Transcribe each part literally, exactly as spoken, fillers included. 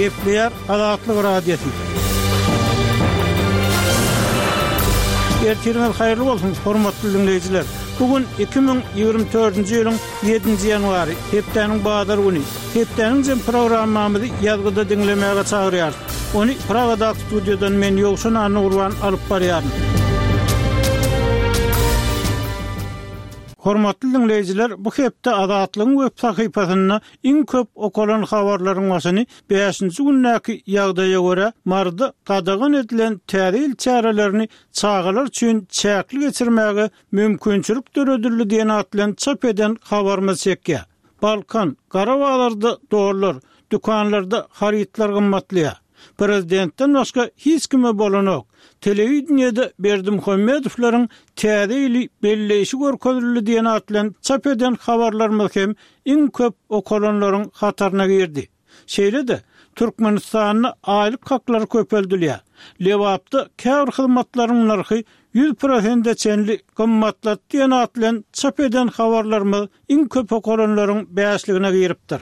Gepleýär Azatlyk Radiosy. Ertiriňiz haýyrly bolsun, hormatly dinleýjiler. Bugün iki müň ýigrimi dördünji ýylyň ýedinji ýanwary, hepdäniň bazar güni. Hepdäniň jem programmamyzy ýazgyda diňlemäge çagyrýarys. Ony Pragadaky studiýadan men Ýowşan Annagurban alyp barýaryn. Hormatly dinleýjiler, bu hepde Azatlygyň web sahypasynda iň köp okalan habarlaryň başyny bäşinji gündäki ýagdaýa görä Marda gadagan edilen täze ýyl çärelerini çagalar üçin çäkli geçirmäge mümkinçilik döredildi diýen at bilen çap eden habarymyz çekýär. Balkan, Garabaglarda dollar, dükanlarda harytlar gymmatlaýar. Prezidentden başga hiç kime bolanok. Telewideniýede Berdimuhamedowlaryň täze ýyly belleýşi görkezildi diýen at bilen çap eden habarlarymyz hem iň köp okalanlaryň hataryna girdi. Şeýle-de Türkmenistanda aýlyk haklary köpeldilýär. Lebapda käbir hyzmatlaryň nyrhy ýüz prosente çenli gymmatlat diýen at bilen çap eden habarlarymyz iň köp okalanlaryň bäşligine giripdir.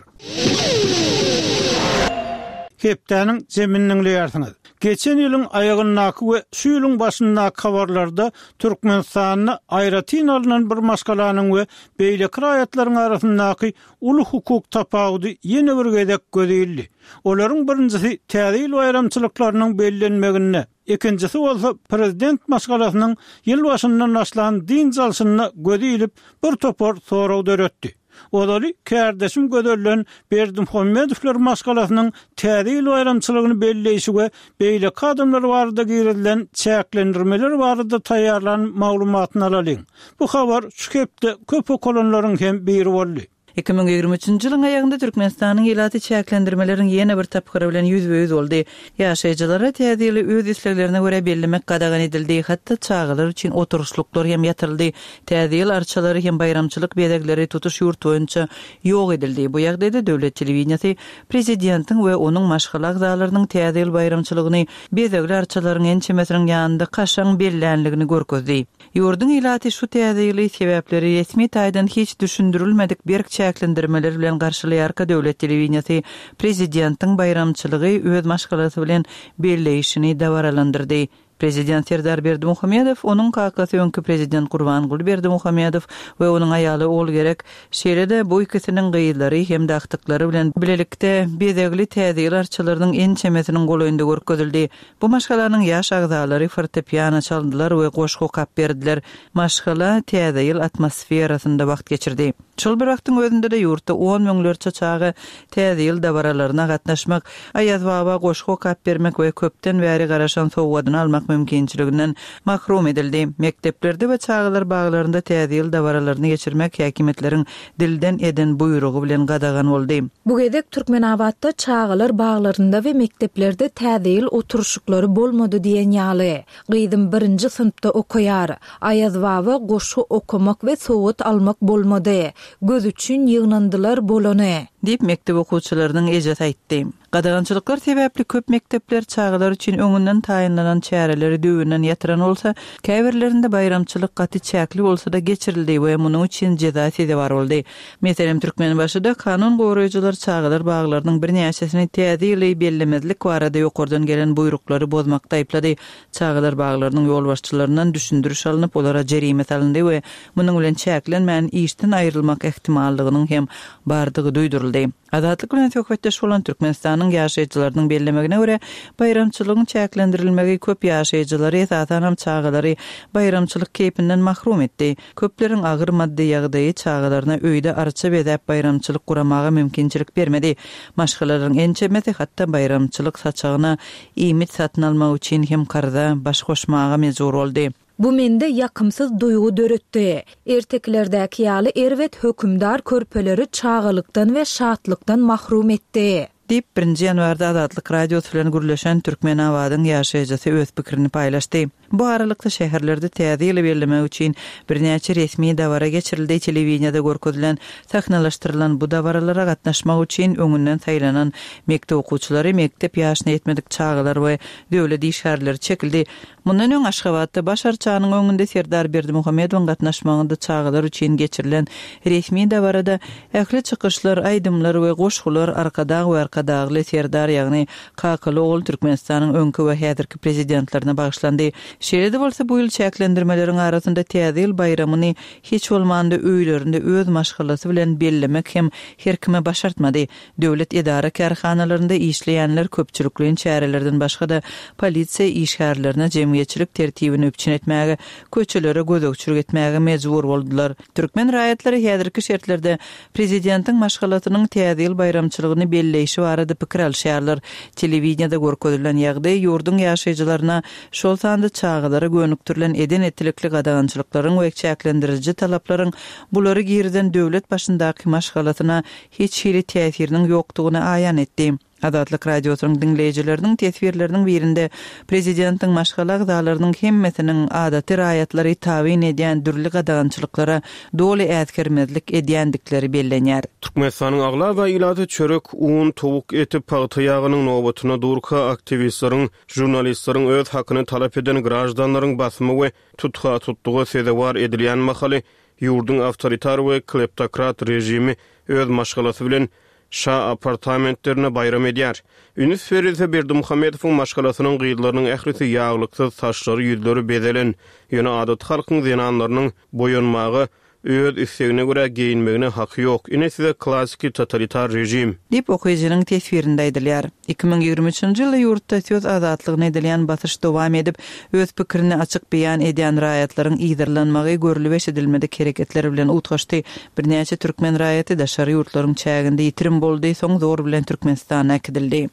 Hepdäniň zemini diňleýärsiňiz. Geçen ýylyň aýagyndaky we şu ýylyň başyndaky habarlarda Türkmenistanda aýratyn alynan bir maşgalanyň we beýleki raýatlaryň arasyndaky uly hukuk tapawudy ýene bir gezek göz ildi. Olaryň birinjisi täze ýyl baýramçylyklarynyň bellenmeginde, ikinjisi bolsa prezident maşgalasynyň ýyl başyndan başlan dynç alşyna göz ilip bir topar sorag döretdi. Ozaly kärdeşim gözellen Berdimuhamedowlar maşgalasynyň täze ýyl baýramçylygyny belleýşi we beýleki adamlar barada girizilen çäklendirmeler barada taýýarlan maglumatyny alalyň. Bu habar şu hepde köp okalanlaryň hem biri boldy. Iki müň ýigrimi üçünji ýylyň aýagynda Türkmenistanyň ilaty çäklendirmeleriň ýene bir tapgyry bilen ýüzbe-ýüz boldy. Ýaşaýjylara täze ýyly öz isleglerine görä bellemek gadagan edildi. Hatda çagalar üçin oturyşlyklar hem ýatyryldy. Täze ýyl arçalary hem baýramçylyk bezegleri tutuş ýurt boýunça ýok edildi. Bu ýagdaýda döwlet telewideniýesi prezidentiň we onuň maşgala agzalarynyň täze ýyl baýramçylygyny bezegli arçalaryň ençemesiniň ýanynda kaşaň bellänligini görkezdi. Ýurduň ilaty şu täze ýyly sebäpleri resmi taýdan hiç düşündirilmedik berk çäklendirmeler bilen garşylaýarka döwlet telewideniýesi prezidentiň baýramçylygy öz maşgalasy bilen belleýşini dabaralandyrdy. Prezident Serdar Berdimuhamedow, onuň kakasy öňki prezident Gurbanguly Berdimuhamedow we onuň aýaly Ogulgerek, şeýle-de bu ikisiniň gyzlary hem agtyklary bilen bilelikde bezegli täze ýyl arçalarynyň ençemesiniň golaýynda görkezildi. Bu maşgalanyň ýaş agzalary fortepiano çaldylar we goşgy okap berdiler. Maşgala täze ýyl atmosferasynda wagt geçirdi. Şol bir wagtyň özünde-de ýurtda on müňlerçe çaga täze ýyl dabaralaryna gatnaşmak, Aýaz baba goşgy okap bermek we köpden bäri garaşan sowgadyny almak mümkinçiliginden mahrum edildi. Mekdeplerde we çagalar baglarynda täze ýyl dabaralaryny geçirmek häkimiýetleriň dilden eden buýrugy bilen gadagan boldy. Bu gezek Türkmenabatda çagalar baglarynda we mekdeplerde täze ýyl oturyşyklary bolmady diýen ýaly. Gyzym birinji synpda okaýar. Aýaz baba goşgy okamak we sowgat almak bolmady. Göz üçin ýygnandylar bolany. Diýip mekdep okuwçylarynyň ejesi aýtdy. Gadagançylyklar sebäpli köp mekdepler çagalar üçin öňünden taýynlanan çäreleri düwünden ýatyran bolsa, käbirlerinde baýramçylyk gaty çäkli bolsa da geçirildi we munuň üçin jeza sezewar boldy. Meselem, Türkmenbaşyda kanun goraýjylar çagalar baglarynyň birnäçesini täze ýyly bellemezlik barada ýokardan gelen buýruklary bozmakda aýyplady. Çagalar baglarynyň ýolbaşçylaryndan düşündiriş alnyp, olara jerime salyndy we munuň bilen çäklenmän işden aýrylmak ehtimallygynyň hem bardygy duýduryldy. Azatlyk bilen söhbetdeş bolan Türkmenistanyň ýaşaýjylarynyň bellemegine görä, baýramçylygyň çäklendirilmegi köp ýaşaýjylary, esasanam çagalary baýramçylyk keýpinden mahrum etdi. Köpleriň agyr maddy ýagdaýy çagalaryna öýde arça bezäp baýramçylyk guramaga mümkinçilik bermedi. Maşgalalaryň ençemesi hatda baýramçylyk saçagyna iýmit satyn almak üçin hem karza baş goşmaga mejbur boldy. Bu mende ýakymsyz duýgy döretdi. Erteklerdäki ýaly erbet hökümdar körpeleri çagalykdan we şatlykdan mahrum etdi. Diýip, birinji ýanwarda Azatlyk Radiosy bilen gürleşen Türkmenabadyň ýaşaýjysy öz pikirini paýlaşdy. Bu aralykda şäherlerde täze ýyly bellemek üçin birnäçe resmi dabara geçirildi. Telewideniýede görkezilen, sahnalaşdyrylan bu dabaralara gatnaşmak üçin öňünden saýlanan mekdep okuwçylary, mekdep ýaşyna ýetmedik çagalar we döwlet işgärleri çekildi. Mundan öň Aşgabatda Baş arçanyň öňünde Serdar Berdimuhamedowyň gatnaşmagynda çagalar üçin geçirilen resmi dabarada ähli çykyşlar, aýdymlar we goşgular Arkadag we Arkadagly Serdar, ýagny kakaly ogul Türkmenistanyň öňki we häzirki prezidentlerine bagyşlandy. Şeýle-de bolsa bu ýyl çäklendirmeleriň arasynda Täze ýyl baýramyny hiç bolmanda öýlerinde öz maşgalasy bilen bellemek hem her kime başartmady. Döwlet edara-kärhanalarynda işleýänler köpçülikleýin çärelerden başga-da polisiýa işgärlerine jemgyýetçilik tertibini üpjün etmäge, köçelere gözegçilik etmäge mejbur boldular. Türkmen raýatlary häzirki şertlerde prezidentiň maşgalasynyň Täze ýyl baýramçylygyny belleýşi barada pikir alyşýarlar. Telewideniýede görkezilen ýagdaý ýurduň ýaşaýjylaryna, şol sanda çagalara gönükdirilen eden-etdilikli gadagançylyklaryň we çäklendiriji talaplaryň bulary girizen döwlet başyndaky maşgalasyna hiç hili täsiriniň ýokdugyny aýan etdi. Azatlyk Radiosynyň diňleýjileriniň teswirleriniň birinde prezidentiň maşgala agzalarynyň hemmesiniň adaty raýatlary tabyn edýän dürli gadagançylyklara doly äsgermezlik edýändikleri bellenýär. Türkmenistanyň aglaba ilaty çörek, un, towuk eti, pagta ýagynyň nobatyna durka aktiwistleriň, žurnalistleriň öz hakyny talap eden graždanlaryň basymy we tutha-tutluga sezewar edilýän mahaly ýurduň awtoritar we kleptokrat režimi öz maşgalasy bilen şa apartamentlerine baýram edýär. Üns berilse Berdimuhamedowyň maşgalasynyň gyzlarynyň ählisi ýaglyksyz, saçlary, ýüzleri bezelen, ýöne adaty halkyň zenanlarynyň boýanmaga, öz islegine görä geýinmegine haky ýok. Ine size klassiki totalitar režim. Diýip okyjynyň teswirinde aýdylýar. Iki müň ýigrimi üçünji ýylda ýurtda söz azatlygyna edilýän basyş dowam edip, öz pikirini açyk beýan edýän raýatlaryň yzarlanmagy görlüp eşidilmedik hereketler bilen utgaşdy. Birnäçe türkmen raýaty daşary ýurtlaryň çäginde ýitirim boldy, soň zor bilen Türkmenistana äkidildi.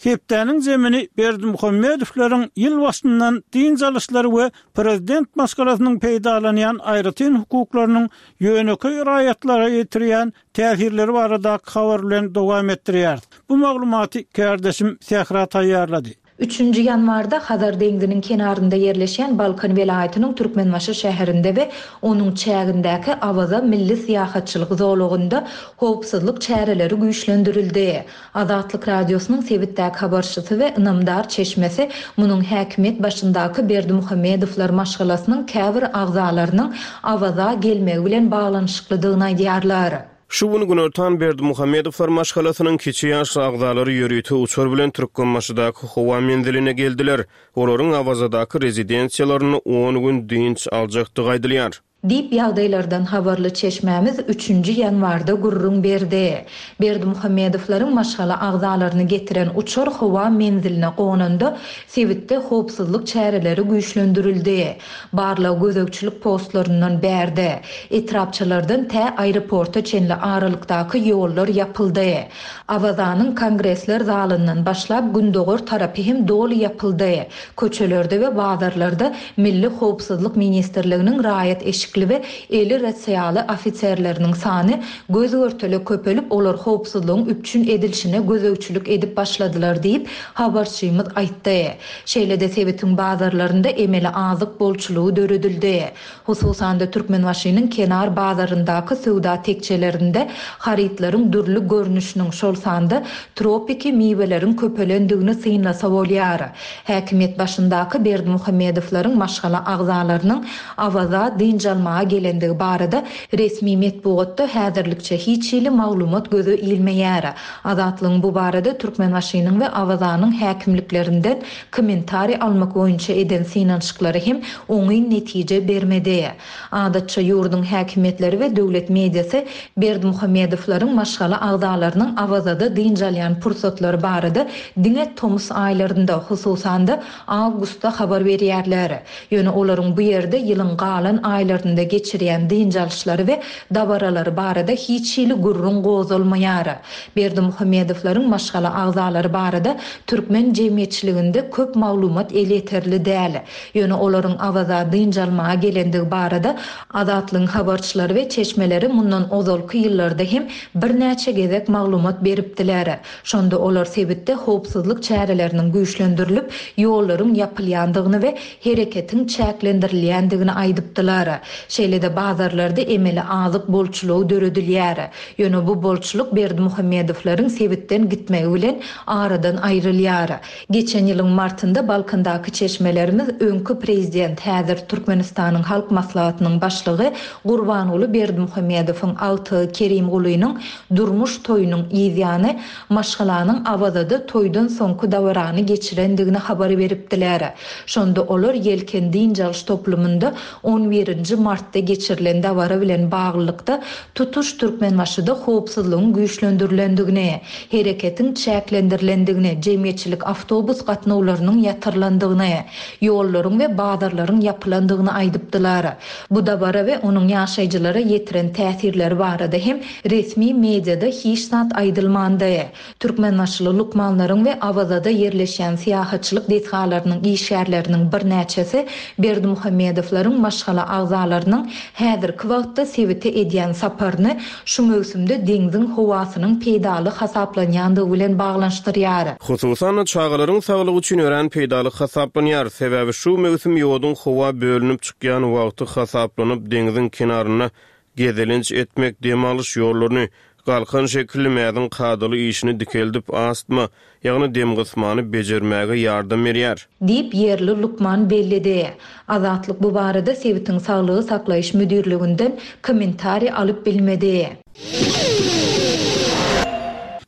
Hepdäniň zemini Berdimuhamedowlaryň ýyl başyndan dynç alyşlary we prezident maşgalasynyň peýdalanýan aýratyn hukuklarynyň ýönekeý raýatlara ýetirýän täsirleri baradaky habar bilen dowam etdirýär. Bu maglumaty kärdeşim Sähra taýýarlady. Üçünji ýanwarda Hazar deňziniň kenarynda ýerleşýän Balkan welaýatynyň Türkmenbaşy şäherinde we onuň çägindäki Awaza milli syýahatçylyk zolagynda howpsuzlyk çäreleri güýçlendirildi. Azatlyk Radiosynyň sebitdäki habarçysy we ynamdar çeşmesi munuň häkimiýet başyndaky Berdimuhamedowlar maşgalasynyň käbir agzalarynyň Awaza gelmegi bilen baglanyşyklydygyny aýdýarlar. Şu gün günortan Berdimuhamedowlar maşgalasynyň kiçi ýaşly agzalary ýörite uçar bilen Türkmenbaşydaky howa menziline geldiler. Olaryň Awazadaky rezidensiýalarynda on gün dynç aljakdygy aýdylýar. Diýip ýagdaýlardan habarly çeşmämiz üçünji ýanwarda gürrüň berdi. Berdimuhamedowlaryň maşgala agzalaryny getiren uçar howa menziline gonanda sebitde howpsuzlyk çäreleri güýçlendirildi. Barlag gözegçilik postlaryndan bärde, etrapçalardan tä aeroporta çenli aralykdaky ýollar ýapyldy. Awazanyň kongresler zalyndan başlap gündogar tarapy hem doly ýapyldy. Köçelerde we bazarlarda Milli Howpsuzlyk Ministrliginiň raýat eşikli we eli rasiýaly ofiserleriniň sany göz görtele köpelip, olar howpsuzlygyň üpjün edilişine gözegçilik edip başladylar diýip habarçymyz aýtdy. Şeýle-de sebitiň bazarlarynda emeli azyk bolçulygy döredildi. Hususan-da Türkmenbaşynyň kenar bazaryndaky söwda tekçelerinde harytlaryň dürli görnüşiniň, şol sanda tropiki miweleriň köpelendigini synlasa bolýar. Häkimiýet başyndaky Berdimuhamedowlaryň maşgala agzalarynyň Awaza dynç almaga gelendigi barada resmi metbugatda häzirlikçe hiç hili maglumat göze ilmeýär. Azatlygyň bu barada Türkmenbaşynyň we Awazanyň häkimliklerinden kommentariý almak boýunça eden synanyşyklary hem oňyn netije bermedi. Adatça ýurduň häkimiýetleri we döwlet mediasy Berdimuhamedowlaryň maşgala agzalarynyň Awazada dynç alýan pursatlary barada diňe tomus aýlarynda, hususan-da awgustda habar berýärler. Ýöne olaryň bu ýerde ýylyň galan aýlarynda geçirýän dynç alyşlary we dabaralary barada hiç hili gürrüň gozalmaýar. Berdimuhamedowlaryň maşgala agzalary barada türkmen jemgyýetçiliginde köp maglumat elýeterli däl. Ýöne olaryň Awaza dynç almaga gelendigi barada Azatlygyň habarçylary we çeşmeleri mundan ozalky ýyllarda hem birnäçe gezek maglumat beripdiler. Şonda olar sebitde howpsuzlyk çäreleriniň güýçlendirilip, ýollaryň ýapylýandygyny we hereketiň çäklendirilýändigini aýdypdylar. Şeýle-de bazarlarda emeli azyk bolçulygy döredilýär. Ýöne bu bolçulyk Berdimuhamedowlaryň sebitden gitmegi bilen aradan aýrylýar. Geçen ýylyň martynda Balkandaky çeşmelerimiz öňki prezident, häzir Türkmenistanyň Halk Maslahatynyň başlygy Gurbanguly Berdimuhamedowyň agtygy Kerimgulynyň durmuş toýunyň yzýany maşgalanyň Awazada toýdan soňky dabarany geçirendigini habar beripdiler. Şonda olar Ýelken dynç alyş toplumynda on birinji martda geçirilen dabara bilen baglylykda tutuş Türkmenbaşyda howpsuzlygyň güýçlendirilendigini, hereketiň çäklendirilendigini, jemgyýetçilik awtobus gatnawlarynyň ýatyrylandygyny, ýollaryň we bazarlaryň ýapylandygyny aýdypdylar. Bu dabara we onuň ýaşaýjylara ýetiren täsirleri barada hem resmi mediada hiç zat aýdylmandy. Türkmenbaşyly lukmanlaryň we Awazada ýerleşýän syýahatçylyk desgalarynyň işgärleriniň birnäçesi Berdimuhamedowlaryň maşgala agzalarynyň häzirki wagtda sebite edýän saparyny şu möwsümde deňziň howasynyň peýdaly hasaplanýandygy bilen baglanyşdyrýar. Hususan-da çagalaryň saglygy üçin örän peýdaly hasaplanýar. Sebäbi şu möwsüm ýoduň howa bölünip çykýan wagty hasaplanyp, deňziň kenarynda gezelenç etmek, dem alyş ýollaryny, galkan şekilli mäziň kadaly işini dikeldip, astma, ýagny dem gysmany bejermäge ýardam berýär. Diýip ýerli lukman belledi. Azatlyk bu barada sebitiň saglygy saklaýyş müdirliginden kommentariý alyp bilmedi.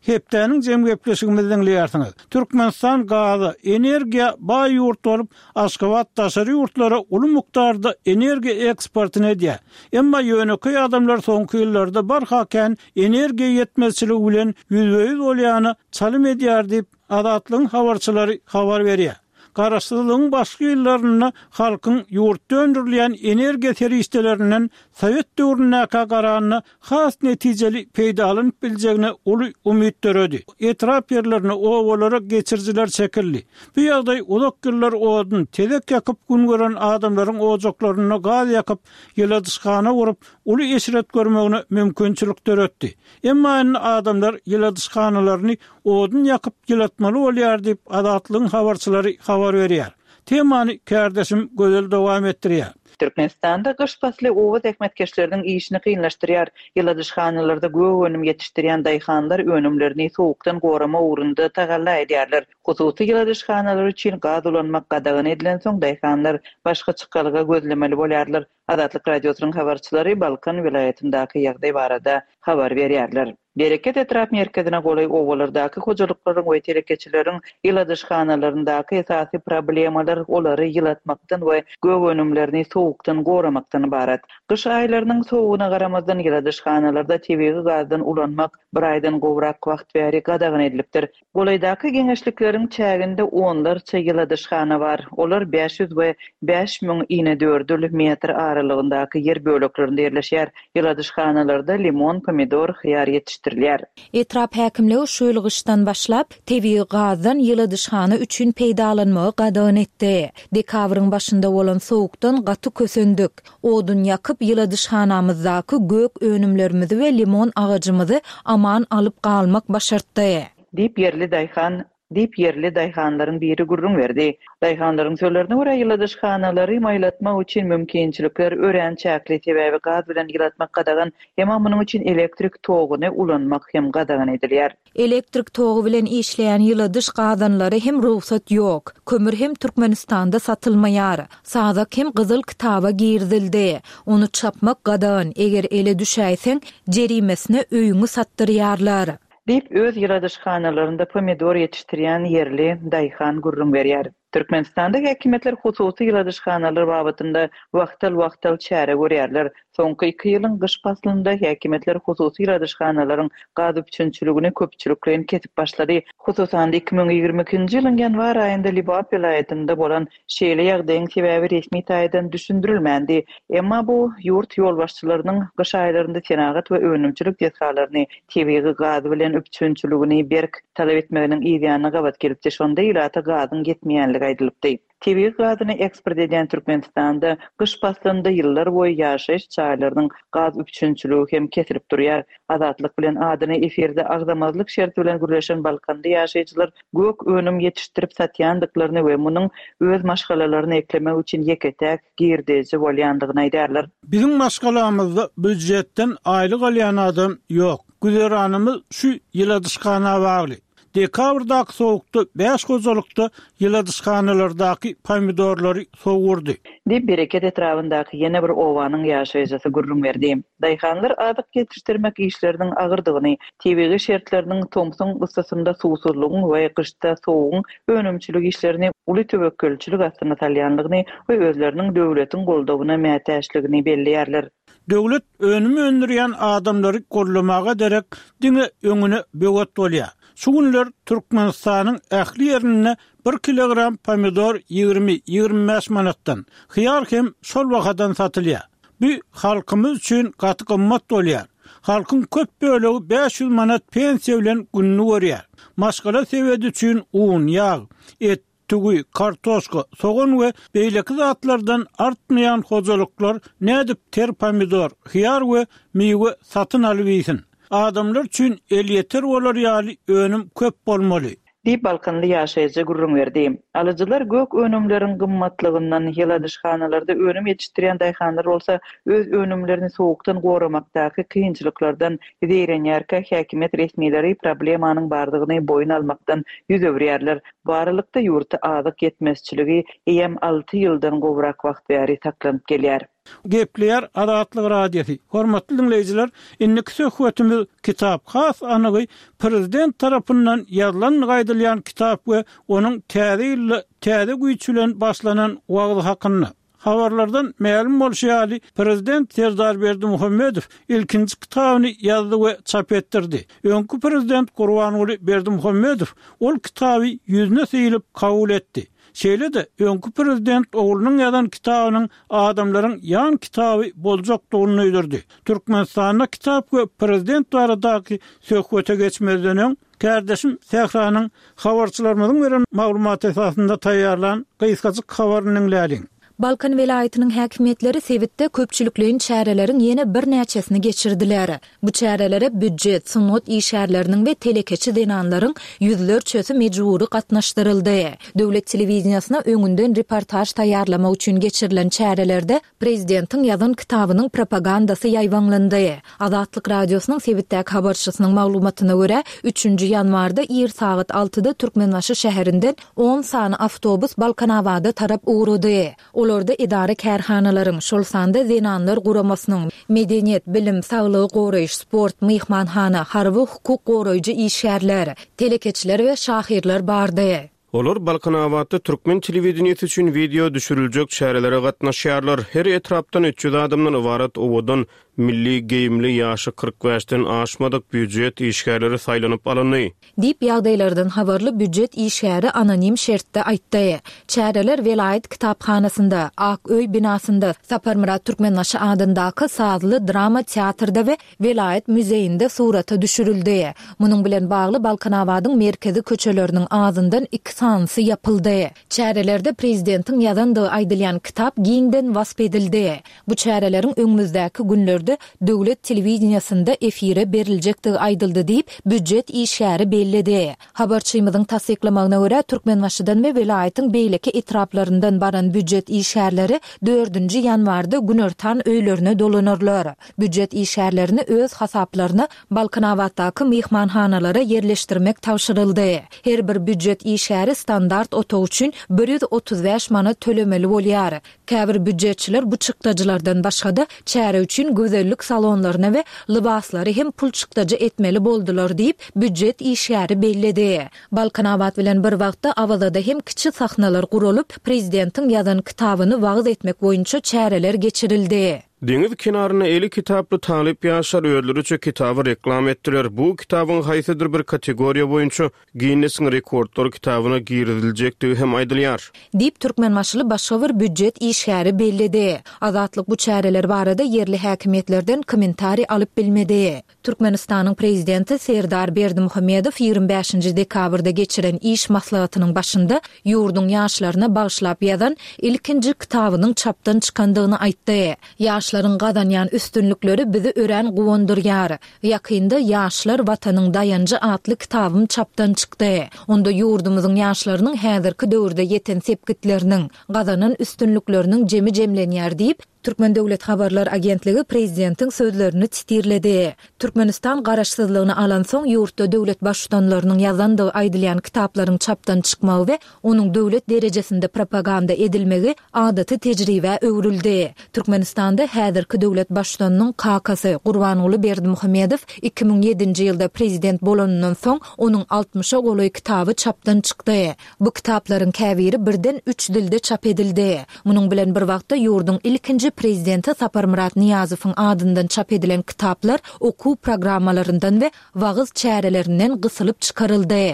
Hepdäniň jem gepleşigimizi diňleýärsiňiz. Türkmenistan gaza, energiýa baý ýurt bolup, Aşgabat daşary ýurtlara uly mukdarda energiýa eksportyny edýär. Emma ýönekeý adamlar soňky ýyllarda barha kän energiýa ýetmezçiligi bilen ýüzbe-ýüz bolýany çalym edýär diýip, Azatlygyň habarçylary habar berýär. Garaşsyzlygyň başky ýyllarynda halkyň ýurtda öndürilýän energiýa serişdelerinden Sowet döwründäkä garanda has netijeli peýdalanyp biljegine uly umyt döredi. Etrap ýerlerine, obalara geçirijiler çekildi. Bu ýagdaý uzak ýyllar odun, tezek ýakyp gün gören adamlaryň ojaklarynda gaz ýakyp, ýyladyşhana gurup, uly eşret görmegine mümkinçilik döretdi. Emma indi adamlar ýyladyşhanalaryny odun ýakyp ýylatmaly bolýar diýip, Azatlygyň habarçylary habar berýär. Temany kärdeşim Gözel dowam etdirýär. Türkmenistanda gyş pasly oba zähmetkeşleriniň işini kynlaşdyrýar. Ýyladyşhanalarda gök önüm ýetişdirýän daýhanlar önümlerini sowukdan gorama ugrunda tagalla edýärler. Hususy ýyladyşhanalar üçin gaz ulanmak gadagan edilensoň daýhanlar başga çykalga gözlemeli bolýarlar. Azatlyk Radiosynyň habarçylary Balkan welaýatyndaky ýagdaý barada habar berýärler. Bereket etrap merkezine golaý obalardaky hojalyklaryň we telekeçileriň ýyladyşhanalaryndaky esasy problemalar olary ýylatmakdan we gök önümlerini sowukdan goramakdan ybarat. Gyş aýlarynyň sowugyna garamazdan ýyladyşhanalarda tebigy gazdan ulanmak bir aýdan gowrak wagt bäri gadagan edilipdir. Golaýdaky geňeşlikleriň çäginde onlarça ýyladyşhana bar. Olar bäş ýüz we bäş müň inedördül metr aralygyndaky ýer böleklerinde ýerleşýär. Ýyladyşhanalarda limon, pomidor, hyýar ýetişdirilýär. Etrap häkimligi şu ýyl gyşdan başlap tebigy gazdan ýyladyşhana üçin peýdalanmagy gadagan etdi. Dekabryň başynda bolan sowukdan gaty kösendik. Odun ýakyp ýyladyşhanamyzdaky gök önümlerimizi we limon agajymyzy aman alyp galmak başartdy. Diýip ýerli daýhan, diýip ýerli daýhanlaryň biri gürrüň berdi. Daýhanlaryň sözlerine görä ýyladyşhanalary maýlatmak üçin mümkinçilikler örän çäkli, sebäbi gaz bilen ýylatmak gadagan, emma munuň üçin elektrik toguny ulanmak hem gadagan edilýär. Elektrik togy bilen işleýän ýyladyş gazanlary hem rugsat ýok. Kömür hem Türkmenistanda satylmaýar. Sazak hem gyzyl kitaba girizildi. Ony çapmak gadagan, eger ele düşäýseň, jerimesine öýüňi satdyrýarlar. Diýip öz ýyladyşhanalarynda pomidor ýetişdirýän ýerli daýhan gürrüň berýär. Türkmenistanda häkimiýetler hususy ýyladyşhanalar babatynda wagtal-wagtal çäre görýärler. Soňky iki ýylyň gyş paslynda häkimiýetler hususy ýyladyşhanalaryň gaz üpjünçiligini köpçülikleýin kesip başlady. Hususan iki müň ýigrimi ikinji ýylyň ýanwar aýynda Lebap welaýatynda bolan şeýle ýagdaýyň sebäbi resmi taýdan düşündirilmändi. Emma bu ýurt ýolbaşçylarynyň gyş aýlarynda senagat we önümçilik desgalaryny tebigy gaz bilen üpjünçiligini berk talap etmeginiň ýanyna gabat gelipdi. Şonda ilata gazyň ýetmeýänligi aýdylypdy. Tebigy gazyny eksport edýän Türkmenistanda gyş paslynda ýyllar boýy ýaşaýyş jaýlarynyň gaz üpjünçiligi hem kesilip durýar. Azatlyk bilen adyny efirde agzamazlyk şerti bilen gürleşen Balkanly ýaşaýjylar gök önüm ýetişdirip satýandyklaryny we munuň öz maşgalalaryny eklemek üçin ýeke-täk girdeji bolýandygyny aýdýarlar. Biziň maşgalamyzda býujetden aýlyk alýan adam ýok. Güzeranymyz şu ýyladyşhana bagly. Dekabrdaky sowukda bäş hojalykda ýyladyşhanalardaky pomidorlary sowurdy. Diýip, Bereket etrabyndaky ýene bir obanyň ýaşaýjysy gürrüň berdi. Daýhanlar azyk ýetişdirmek işleriniň agyrdygyny, tebigy şertleriniň tomsuň yssysynda suwsuzlygyň we gyşda sowugyň önümçilik işlerini uly töwekgelçilik astyna salýandygyny we özleriniň döwletiň goldawyna mätäçligini belleýärler. Döwlet önüm öndürýän adamlary gollamaga derek diňe öňüne böwet bolýar. Şu günler Türkmenistanyň ähli ýerinde bir kilogram pomidor ýigrimi, ýigrimi bäş manatdan, hyýar hem şol bahadan satylýar. Bu halkymyz üçin gaty gymmat bolýar. Halkyň köp bölegi bäş ýüz manat pensiýa bilen gününi görýär. Maşgala sebedi üçin un, ýag, et, tüwi, kartoşka, sogan we beýleki zatlardan artmaýan hojalyklar nädip ter pomidor, hyýar we miwe satyn alyp iýsin? Adamlar üçin elýeter bolar ýaly önüm köp bolmaly. Diýip, balkanly ýaşaýjy gürrüň berdi. Alyjylar gök önümleriň gymmatlygyndan, ýyladyşhanalarda önüm ýetişdirýän daýhanlar bolsa öz önümlerini sowukdan goramakdaky kynçylyklardan zeýrenýärkä, häkimiýet resmileri problemanyň bardygyny boýun almakdan ýüz öwürýärler. Bu aralykda ýurtda azyk ýetmezçiligi eýýäm alty ýyldan gowrak wagt bäri saklanyp gelýär. Gepleýär Azatlyk Radiosy. Hormatly diňleýjiler, indiki söhbetimiz kitap, has anygy prezident tarapyndan ýazylandygy aýdylýan kitap we onuň täze ýylda täze güýç bilen başlanan wagzy hakynda. Habarlardan mälim bolşy ýaly, prezident Serdar Berdimuhamedow ilkinji kitabyny ýazdy we çap etdirdi. Öňki prezident Gurbanguly Berdimuhamedow ol kitaby ýüzüne syýlyp kabul etdi. Şeýle-de, öňki prezident oglunyň ýazan kitabynyň adamlaryň ýan kitaby boljakdygyny duýdurdy. Türkmenistanda kitap we prezident baradaky söhbete geçmezden öň, kärdeşim Sähranyň habarçylarymyzyň beren maglumaty esasynda taýýarlan gysgajyk habaryny diňläliň. Balkan welaýatynyň häkimiýetleri sebitde köpçülikleýin çäreleriň ýene birnäçesini geçirdiler. Bu çärelere býujet, sungat işgärleriniň we telekeçi zenanlaryň ýüzlerçesi mejbury gatnaşdyryldy. Döwlet telewideniýesine öňünden reportaž taýýarlamak üçin geçirilen çärelerde prezidentiň ýazan kitabynyň propagandasy ýaýbaňlandy. Azatlyk Radiosynyň sebitdäki habarçysynyň maglumatyna görä, üçünji ýanwarda ir sagat altyda Türkmenbaşy şäherinden on sany awtobus Balkanabada tarap ugrady. Olarda edara-kärhanalaryň, şol sanda Zenanlar guramasynyň, medeniýet, bilim, saglygy goraýyş, sport, myhmanhana, harby, hukuk goraýjy işgärler, telekeçiler we şahyrlar bardy. Olar Balkanabatda türkmen telewideniýesi üçin wideo düşüriljek çärelere gatnaşýarlar. Her etrapdan üç ýüz adamdan ybarat owadan, milli geýimli, ýaşy kyrk bäşden aşmadyk býujet işgärleri saýlanyp alyndy. Diýip, ýagdaýlardan habarly býujet işgäri anonim şertde aýtdy. Çäreler welaýat kitaphanasynda, Ak öý binasynda, Saparmyrat Türkmenbaşy adyndaky sazly drama teatrda we welaýat muzeýinde surata düşürildi. Munuň bilen bagly Balkanabadyň merkezi köçeleriniň azyndan iki sanysy ýapyldy. Çärelerde prezidentiň ýazandygy aýdylýan kitap giňden wasp edildi. Bu çäreleriň öňümizdäki günlerde döwlet telewideniýesinde efire beriljekdigi aýdyldy diýip, býujet işgäri belledi. Habarçymyzyň tassyklamagyna görä, Türkmenbaşydan we welaýatyň beýleki etraplaryndan baran býujet işgärleri dördünji ýanwarda günortan öýlerine dolanarlar. Býujet işgärlerini öz hasaplaryna Balkanabatdaky myhmanhanalara ýerleşdirmek tabşyryldy. Her bir býujet işgäri standart otag üçin bir ýüz otuz bäş manat tölemeli bolýar. Käbir býujetçiler bu çykdajylardan başga-da çäre üçin gözellik salonlaryna we lybaslary hem pul çykdajy etmeli boldular diýip, býujet işgäri belledi. Balkanabat bilen bir wagtda Awazada hem kiçi sahnalar guralyp, prezidentiň ýazan kitabyny wagyz etmek boýunça çäreler geçirildi. Deňiz kenarynda eli kitaply talyp ýaşlar özleriçe kitaby reklam etdiler. Bu kitabyň haýsydyr bir kategoriýa boýunça Ginnesiň rekordlar kitabyna giriziljekdigi hem aýdylýar. Diýip, türkmenbaşyly başga bir býujet işgäri belledi. Azatlyk bu çäreler barada ýerli häkimiýetlerden kommentariý alyp bilmedi. Türkmenistanyň Prezidenti Serdar Berdimuhamedow ýigrimi bäşinji dekabrda geçiren iş maslahatynyň başynda ýurduň ýaşlaryna bagyşlap ýazan ilkinji kitabynyň çapdan çykandygyny aýtdy. Ýaşlaryň gazanýan üstünlikleri bizi örän guwandyrýar. Ýakynda Ýaşlar, Watanyň daýanjy atly kitabym çapdan çykdy. Onda ýurdumyzyň ýaşlarynyň häzirki döwürde ýeten sepgitleriniň, gazanan üstünlikleriniň jemi jemlenýär diýip, Türkmen döwlet habarlar agentligi prezidentiň sözlerini sitirledi. Türkmenistan garaşsyzlygyny alansoň, ýurtda döwlet baştutanlarynyň ýazandygy aýdylýan kitaplaryň çapdan çykmagy we onuň döwlet derejesinde propaganda edilmegi adaty tejribä öwrüldi. Türkmenistanda häzirki döwlet baştutanynyň kakasy Gurbanguly Berdimuhamedow iki müň ýedinji ýylda prezident bolanyndan soň, onuň altmyşa golaý kitaby çapdan çykdy. Bu kitaplaryň käbiri birden üç dilde çap edildi. Munuň bilen bir wagtda ýurduň ilkinji prezidenti Saparmyrat Nyýazowyň adyndan çap edilen kitaplar okuw programmalaryndan we wagyz çärelerinden gysylyp çykaryldy.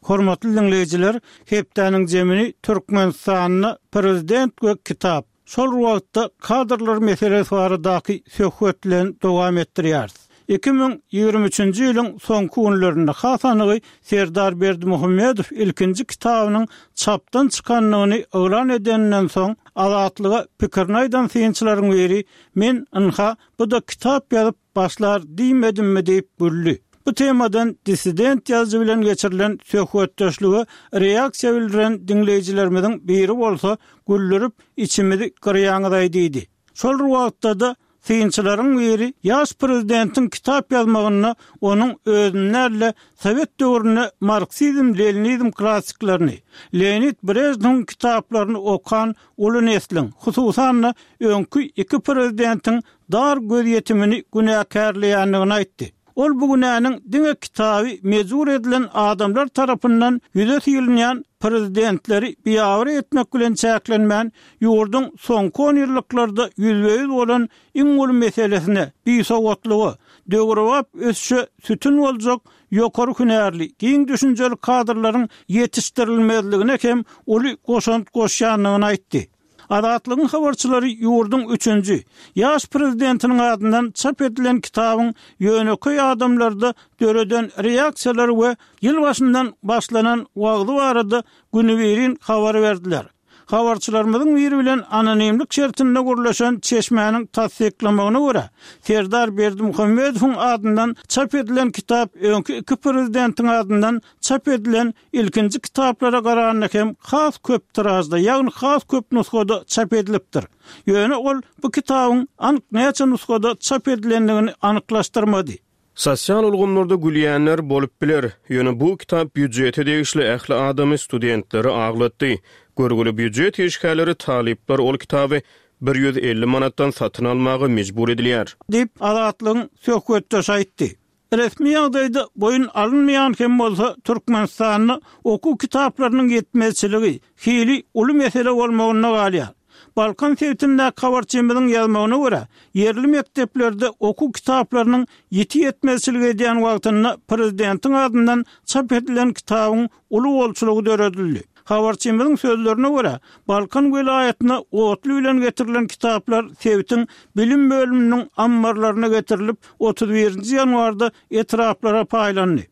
Hormatly diňleýjiler, hepdäniň jemini Türkmenistanda Prezident we kitap, şol bir wagtda kadrlar meselesi baradaky söhbet bilen dowam etdirýäris. Iki müň ýigrimi üçünji ýylyň soňky günlerinde, has anygy Serdar Berdimuhamedow ilkinji kitabynyň çapdan çykandygyny yglan edeninden soň, Azatlyga pikirini aýdan synçylaryň biri, Men, ynha, bu-da kitap ýazyp başlar diýmedimmi diýip güldi. Bu temadan dissident ýazyjy bilen geçirilen söhbetdeşlige reaksiýa bildiren diňleýjilerimiziň biri bolsa, Güldürip, içimizi gyrýaňyz-aý diýdi. Şol bir wagtda-da, synçylaryň biri ýaş prezidentiň kitap ýazmagynda onuň özüni däl-de, sowet döwründe marksizm-leninizm klassyklaryny, Leonid Brežnewiň kitaplaryny okan uly nesliň, hususan-da, öňki iki prezidentiň dar gözýetimini günäkärleýändigini aýtdy. Ol bu günäniň diňe kitaby mejbur edilen adamlar tarapyndan ýüze sylynýan prezidentleri biabraý etmek bilen çäklenmän, ýurduň soňky onýyllyklarda ýüzbe-ýüz bolan iň uly meselesine, bisowatlyga, döwrebap ösüşe sütün boljak ýokary hünärli, giň düşünjeli kadrlaryň ýetişdirilmezligine hem uly goşant goşýandygyny aýtdy. Azatlygyň habarçylary ýurduň üçünji, ýaş prezidentiniň adyndan çap edilen kitabyň ýönekeý adamlarda döreden reaksiýalary we ýyl başyndan başlanan wagzy barada günübirin habar berdiler. Habarçylarymyzyň biri bilen anonimlik şertinde gürleşen çeşmäniň tassyklamagyna görä, Serdar Berdimuhamedowyň adyndan çap edilen kitap öňki iki prezidentiň adyndan çap edilen ilkinji kitaplara garanda hem has köp tiražda, ýagny has köp nusgada çap edilipdir. Ýöne ol bu kitabyň anyk näçe nusgada çap edilendigini anyklaşdyrmady. Sosial ulgamlarda gülýänler bolup biler, ýöne bu kitap býujete degişli ähli adamy, studentleri aglatdy. Görgüli býujet işgärleri, talyplar ol kitaby bir ýüz elli manatdan satyn almaga mejbur edilýär. Diýip, Azatlygyň söhbetdeşi aýtdy. Resmi ýagdaýda boýun alynmaýan hem bolsa, Türkmenistanda okuw kitaplarynyň ýetmezçiligi hili uly mesele bolmagynda galýar. Balkan sebitindäki habarçymyzyň ýazmagyna görä, ýerli mekdeplerde okuw kitaplarynyň ýiti ýetmezçilik edýän wagtynda prezidentiň adyndan çap edilen kitabyň uly bolçulygy döredildi. Habarçymyzyň sözlerine görä, Balkan welaýatyna otly bilen getirilen kitaplar sebitiň bilim bölüminiň ammarlaryna getirilip, otuz birinji ýanwarda etraplara paýlandy.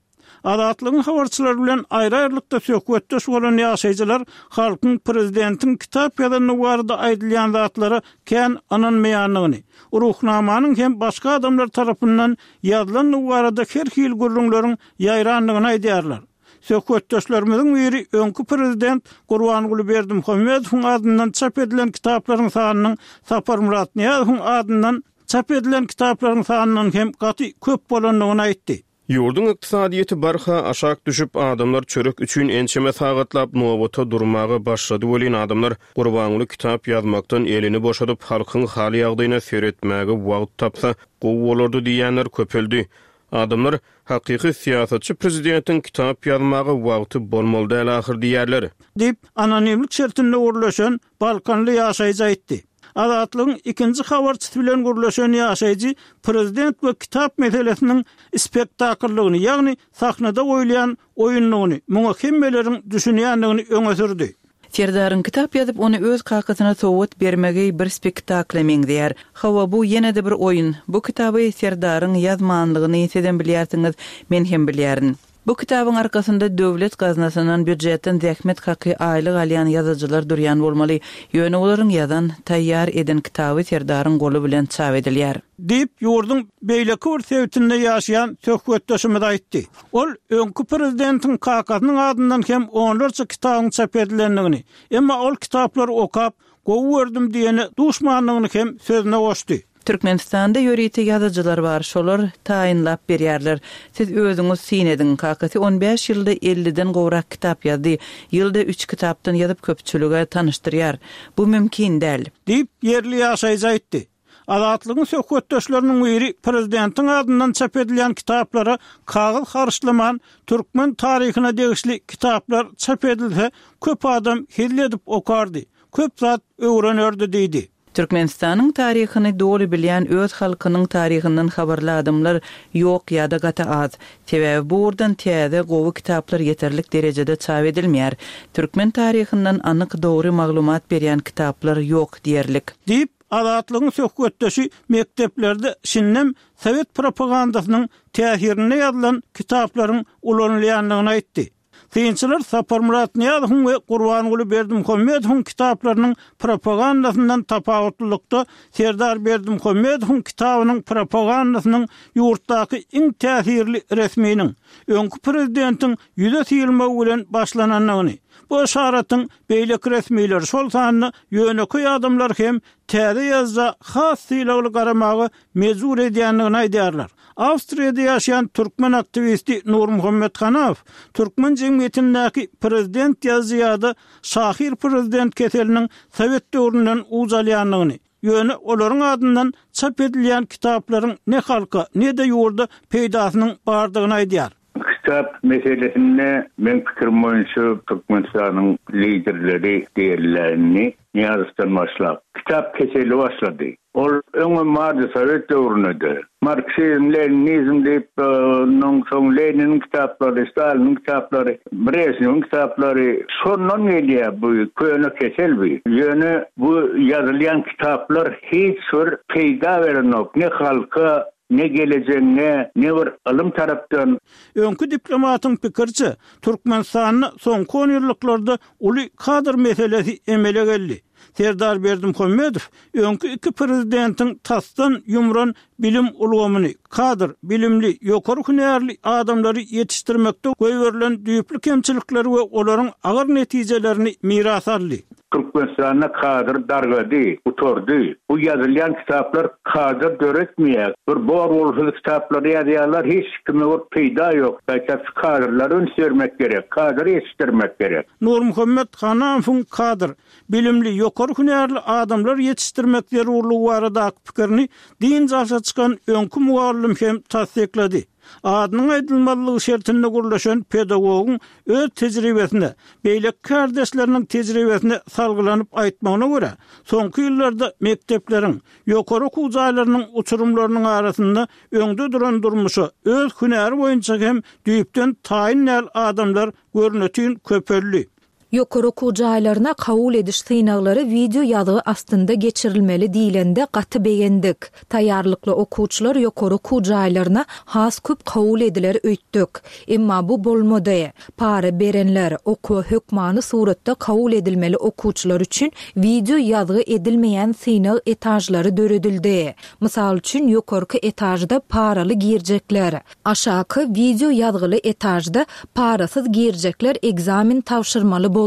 Azatlygyň habarçylary bilen aýry-aýrylykda söhbetdeş bolan ýaşaýjylar halkyň prezidentiň kitap ýazandygy barada aýdylýan zatlara kän ynanmaýandygyny, Ruhnamanyň hem başga adamlar tarapyndan ýazylandygy barada her hili gürrüňleriň ýaýrandygyny aýdýarlar. Söhbetdeşlerimiziň biri öňki prezident Gurbanguly Berdimuhamedowyň adyndan çap edilen kitaplaryň sanynyň Saparmyrat Nyýazowyň adyndan çap edilen kitaplaryň sanyndan hem gaty köp bolandygyny aýtdy. Ýurduň ykdysadyýeti barha aşak düşüp, adamlar çörek üçin ençeme sagatlap nobata durmaga başlady welin, adamlar Gurbanguly kitap ýazmakdan elini boşadyp, halkyň hal-ýagdaýyna seretmäge wagt tapsa, gowy bolardy diýýänler köpeldi. Adamlar hakyky syýasatçy prezidentiň kitap ýazmaga wagty bolmaly däl ahyr diýerler. Diýip, anonimlik şertinde gürleşen Balkanly ýaşaýjy aýtdy. Azatlygyň ikinji habarçysy bilen gürleşen ýaşaýjy prezident we kitap meselesiniň spektakllygyny, ýagny sahnada goýulýan oýunlygyny, muňa hemmeleriň düşünýändigini öňe sürdi. Serdaryň kitap ýazyp, ony öz kakasyna sowgat bermegi bir spektakla meňzeýär. Hawa, bu ýene-de bir oýun. Bu kitaby Serdaryň ýazmanlygyny sizem bilýärsiňiz, men hem bilýärin. Bu kitabyň arkasynda döwlet gaznasyndan býujetden zähmet haky aýlyk alýan ýazyjylar durýan bolmaly. Ýöne olaryň ýazan, taýýar eden kitaby Serdaryň goly bilen çap edilýär. Diýip, ýurduň beýleki bir sebitinde ýaşaýan söhbetdeşimiz aýtdy. Ol öňki prezidentiň kakasynyň adyndan hem onlarça kitabyň çap edilendigini, emma ol kitaplary okap, gowy gördüm diýene duşmanlygyny hem sözüne goşdy. Türkmenistanda ýörite ýazyjylar bar, şolar taýynlap berýärler. Siz özüňiz syn ediň. Kakasy on bäş ýylda elliden gowrak kitap ýazdy. Ýylda üç kitapdan ýazyp köpçülige tanyşdyrýar. Bu mümkin däl. Diýip, ýerli ýaşaýjy aýtdy. Azatlygyň söhbetdeşleriniň biri prezidentiň adyndan çap edilýän kitaplara kagyz harçlaman türkmen taryhyna degişli kitaplar çap edilse, köp adam hezil edip okardy, köp zat öwrenerdi diýdi. Türkmenistanyň taryhyny doly bilýän öz halkynyň taryhyndan habarly adamlar ýok ýa-da gaty az. Sebäbi bu ugurdan täze gowy kitaplar ýeterlik derejede çap edilmeýär. Türkmen taryhyndan anyk dogry maglumat berýän kitaplar ýok diýerlik. Diýip, Azatlygyň söhbetdeşi mekdeplerde şindem sowet propagandasynyň täsirinde ýazylan kitaplaryň ulanylýandygyny aýtdy. Synçylar Saparmyrat Nyýazowyň we Gurbanguly Berdimuhamedowyň kitaplarynyň propagandasyndan tapawutlylykda Serdar Berdimuhamedowyň kitabynyň propagandasynyň ýurtdaky iň täsirli resminiň, öňki prezidentiň ýüze syrmagy bilen başlanandygyny, bu işaratyň beýleki resmiler, şol sanda ýönekeý adamlar hem täze ýazda has sylagly garamaga mejbur edýändigini aýdýarlar. Awstriýada ýaşaýan türkmen aktiwisti Nurmuhammet Hanaw türkmen jemgyýetindäki prezident ýazyjy ýa-da şahyr prezident keseliniň sowet döwründen uç alýandygyny, ýöne olaryň adyndan çap edilýän kitaplaryň ne halka, ne-de ýurda peýdasynyň bardygyny aýdýar. Kitap meselesinde men pikirim boýunça Türkmenistanyň liderleri diýerlerini Nyýazowdan başlap kitap keseli başlady. Ol öňe bardy Sowet döwründe. Marksizm, Leninizm diýip, ondan soň Leniniň kitaplary, Staliniň kitaplary, Brejnewiň kitaplary şondan gelýär bu köne kesel bu. Ýöne bu ýazylýan kitaplar hiç bir peýda berenok, ne halka, ne geleceğine, ne bir ylym tarapdan. Öňki diplomatyň pikiriçe, Türkmenistanda soňky on ýyllyklarda uly kadr meselesi emele geldi. Serdar Berdimuhamedow öňki iki prezidentiň tasdan ýumran bilim ulgamyny, kadr, bilimli, ýokary hünärli adamlary ýetişdirmekde goýberilen düýpli kemçilikleri we olaryň agyr netijelerini miras aldy. Türkmenistanda kadr dargady, gutardy. Bu ýazylýan kitaplar kadr döretmeýär. Bir bor bolsa kitaplary ýazýarlar, hiç kime bir peýda ýok. Gaýta şu kadrlary üns bermek gerek, kadr ýetişdirmek gerek. Nurmuhammet Hanamowyň kadr, bilimli, ýokary hünärli adamlar ýetişdirmek zerurlygy baradaky pikirini dynç alşa çykan öňki mugallym hem tassyklady. Adynyň aýdylmazlygy şertinde gürleşen pedagogyň öz tejribesine, beýleki kardeşleriniň tejribesine salgylanyp aýtmagyna görä, soňky ýyllarda mekdepleriň, ýokary okuw jaýlarynyň uçurymlarynyň arasynda öňde duran durmuşa öz hünäri boýunça hem düýpden taýyn däl adamlar görnütin köpeldi. Ýokary okuw jaýlaryna kabul ediş synaglary wideo ýazgy astynda geçirilmeli diýilende gaty begendik. Taýýarlykly okuwçylar ýokary okuw jaýlaryna has köp kabul ediler öýtdük. Emma bu bolmady. Para berenler, okuwa hökmany suratda kabul edilmeli okuwçylar üçin wideo ýazgy edilmeýän synag etajlary döredildi. Mysal üçin ýokarky etajda paraly girjekler, aşaky wideo ýazgyly etajda parasyz girjekler ekzamen tabşyrmaly boldy.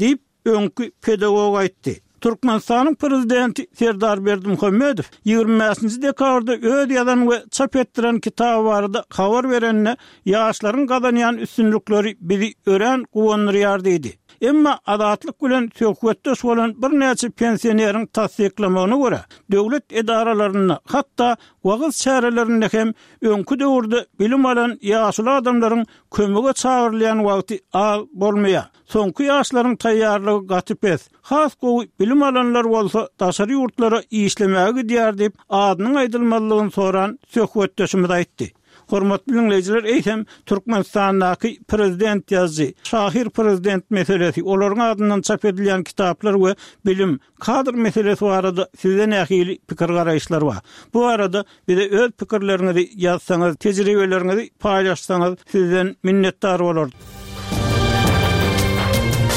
Diýip, öňki pedagog aýtdy. Türkmenistanyň prezidenti Serdar Berdimuhamedow ýigrimi bäşinji dekabrda öz ýazan we çap etdiren kitaby barada habar berende, ýaşlaryň gazanýan üstünlikleri bizi örän guwandyrýar diýdi. Emma Azatlyk bilen söhbetdeş bolan birnäçe pensioneriň tassyklamagyna görä, döwlet edaralarynda, hatda wagyz çärelerinde hem öňki döwürde bilim alan ýaşuly adamlaryň kömege çagyrylýan wagty az bolmaýar. Soňky ýaşlaryň taýýarlygy gaty pes. Has gowy bilim alanlar bolsa daşary ýurtlara işlemäge gidýär diýip, adynyň aýdylmazlygyny soran söhbetdeşimiz aýtdy. Hormatly diňleýjiler, eýsem Türkmenistandaky prezident ýazyjy, şahyr prezident meselesi, olaryň adyndan çap edilýän kitaplar we bilim, kadr meselesi barada sizde nähili pikir-garaýyşlar bar? Bu barada bize öz pikirleriňizi ýazsaňyz, tejribeleriňizi paýlaşsaňyz sizden minnetdar bolarys.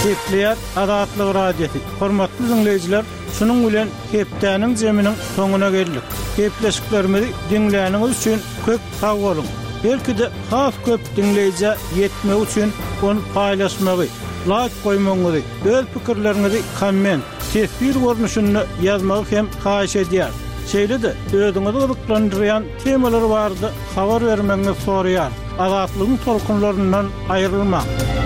Gepleýär Azatlyk Radiosy. Hormatly diňleýjiler, şunuň bilen hepdäniň jeminiň soňuna geldik. Gepleşiklerimizi diňläniňiz üçin köp sag boluň. Belki-de has köp diňleýjä ýetmegi üçin ony paýlaşmagy, laýk goýmagyňyzy, öz pikirleriňizi komment, teswir görnüşinde ýazmagy hem haýyş edýäris. Şeýle-de özüňizi gyzyklandyrýan temalar barada habar bermegiňizi soraýarys. Azatlygyň tolkunlaryndan aýrylmaň!